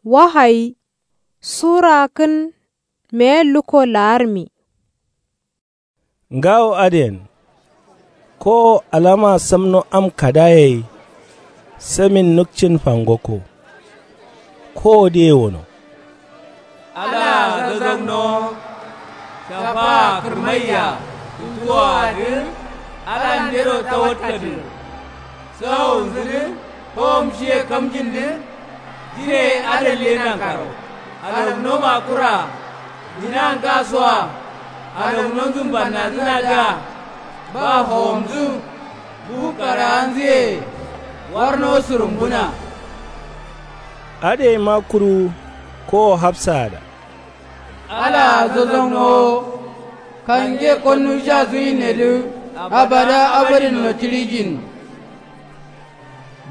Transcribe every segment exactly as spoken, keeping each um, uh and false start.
Wahayi. Sura kǝn meye lukko la'armi. Ngawo adǝyen. Kowo alama samno am kadaye ye. Samin nukcin fangokko. Kowo diye wono. Alaa zazagnowo. Shafaa kǝrmaiya. Tuntuwoadǝ. Alandero tawatkadǝ. Sawonzǝdǝ. Howom shiye kamjindǝ. Jire adalliye nankaro. Alagno makura. Dina ngasoa. Alagnonzǝ mbannazǝnadǝa. Ba howomzǝ. Buhu karaanzǝye. Warno sǝrumbuna. Adǝ yaima kuru. Kowo hafsaada. Alaa zazagnowo. Kange konnu sha suyinnedǝ. Abada abadin notirijin.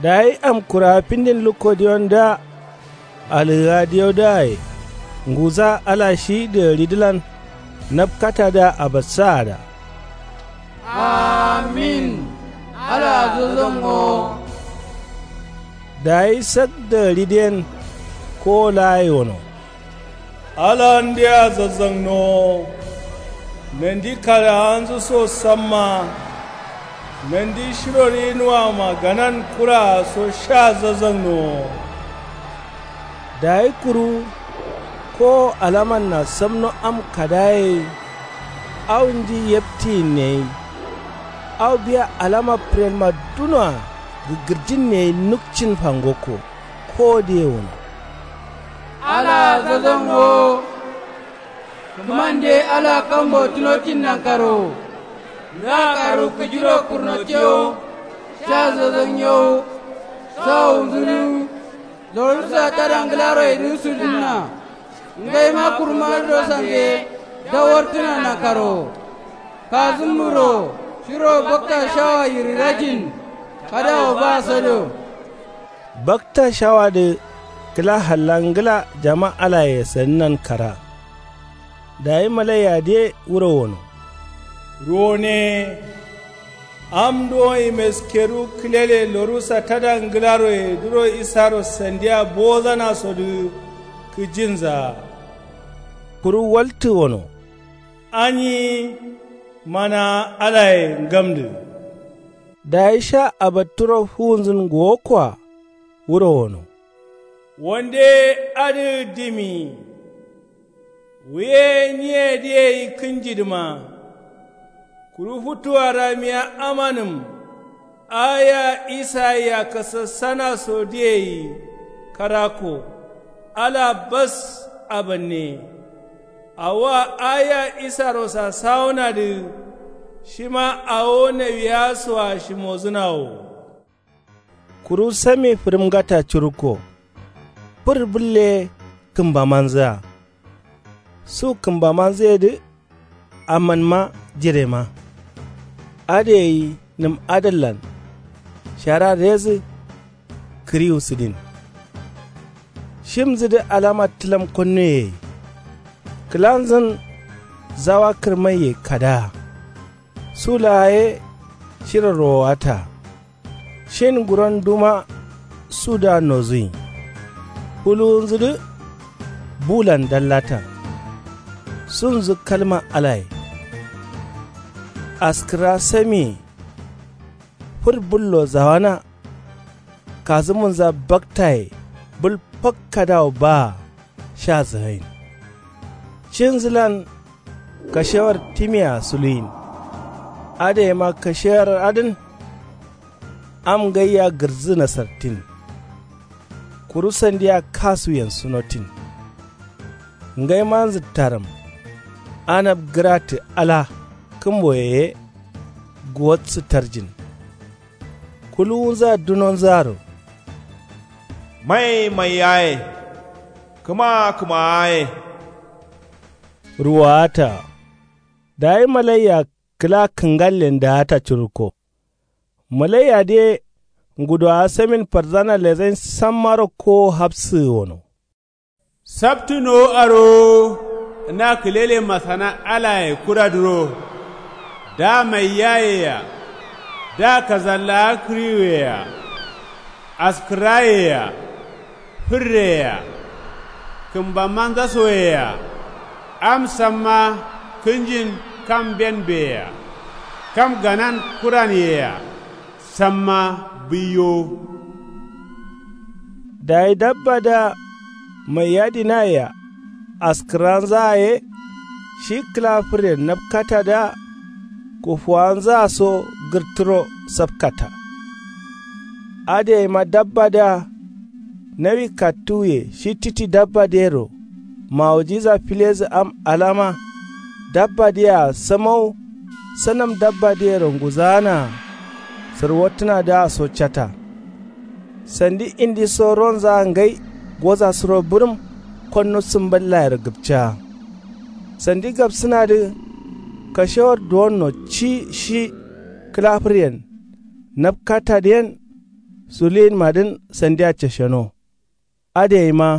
Dayi am kurawa findin lukko diyondǝa. Alǝgǝa diyodǝaye. Nguza ala shi dǝgǝridǝlan. Nabkatadǝa abassaada. Amin. Alaa zazagnowo. Dayi sak dǝgǝridǝyen. Kowo laa yewono. Alandea zazagnowo. Nandi karaanzǝ so samma. Nandi shiro rinuwama ganan kuraa so sha zazagnowo. Dayi kuru. Kowo alamanna samno am kadaye ye. Awo ndi yabtiyinne ye. Awo biya alama fǝrenma dunoa. Gǝgǝrjinne ye nukcin fangokko. Kowo diye wono. Alaa zazagnowo. Kǝmande ala kambo tunotin nankaro. Nga karu kǝjiro kurnotiyo. Sha zazagnowo. Sawonzǝdǝ. Lorusa tada ngǝlaroyedǝ sudǝnna. Ngaima kurmadǝro sange. Dawartǝna nankaro. Kazǝmmuro. Shiro bakta shawa yirirajin. Kadawo ba sodo. Bakta shawadǝ. Kǝla halla ngǝla jama alaye sadǝnan kara. Dayi malaiyadǝye wuro wono. Ruwone. Am duwon imeskeru kǝlele lorusa tada ngǝlaroye duro isaro sandiya bozanasodǝ. Kǝjinza. Kuru waltǝ wono. Anyi. Mana alaye ngamdǝ. Dayi sha abatturo fuwunzǝn gowokkoa. Wuro wono. Wande adǝ dimi. Wuye nyiyedǝ yeyi kǝnjidǝma. Kuru futuwa ramiya amanǝm. Aya isayia kasassanasodǝ yeyi. Karakko. Ala bas. Abanne. Awoa aya isarosa sawonadǝ. Shima awo nawiyasoa shimozǝna wo. Kuru sami fǝrǝmgata curukko. Fǝr bǝlle kǝmbamanzǝa. Su kǝmbamanzǝyedǝ. Amanma jirema. Adǝ gai nǝm adallan. Shara rezǝ. Kǝriwu sǝdin. Shimzǝdǝ alama tǝlam konnuye ye. Kǝlanzǝn. Zawa kǝrmaiye kadaa. Su laa ye. Shiro rowowata. Shin nguron duma. Suda nozuyin. Fuluwunzudǝ. Bulan dallata. Sunzǝ kalma alaye. Askǝra samiye. Fǝr bǝllo zawana. Kazǝmunza baktaye. Bǝl fakkadawo baa. Sha zǝgain. Cinzǝlan. Kashewar timea suluyin. Adǝ yaima kashewar adǝn. Am ngaiya gǝrdzǝ nasartin. Kuru sandiya kasuyen sunotin. Ngaimanzǝ tarǝm. Anab gǝratǝ ala. Kǝmboye ye. Guwatsǝ tarjin. Kuluwunza dunonzaro. Mai mai yaye. Kǝma kǝma yaye. Ruwata. Dayi malaiya kǝla kǝngallen daata curukko. Malaiyadǝ ye. Ngudowa samin farzana lezain sammaro kowo hafsǝgǝ wono. Saptǝ nowo arowo. Na kǝlele masana alaye kuradǝro. Da maiyaye-a. Da kazallawa kǝriwuye-a. Askǝraye-a. Fǝrreye-a. Kǝmbammanza soyea. Am samma kǝnjin kam mbenbeyea. Kam ganan kuraniyea. Samma bǝiyowo. Dayi dabbadǝa maiyadǝnayea. Askǝranzaa ye shi kǝla fǝryen napkatadǝa. Kufuwanzaa so gǝrtǝro sapkata. Adǝ yaima dabbadǝa. Nawi kattuwuye shi titi dabbadǝyero. Mawujiza filedǝ am alama. Dabbadǝyea samawu. Sanam dabbadǝyero nguzaanaa. Sǝrwottǝnadǝa so cata. Sandi indi so ronzaa ngai. Goza suro bǝrǝm. Konnu sǝmballayero gǝpcaa. Sandi gapsǝnadǝ. Kashewar duwonno ci shi kǝla fǝryen. Napkatadǝyen. Suliyinmadǝn sandia casheno. Adǝ yaima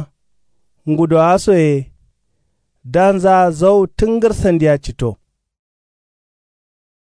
ngudowa soye. Danzaa zau tǝngǝr sandia cito.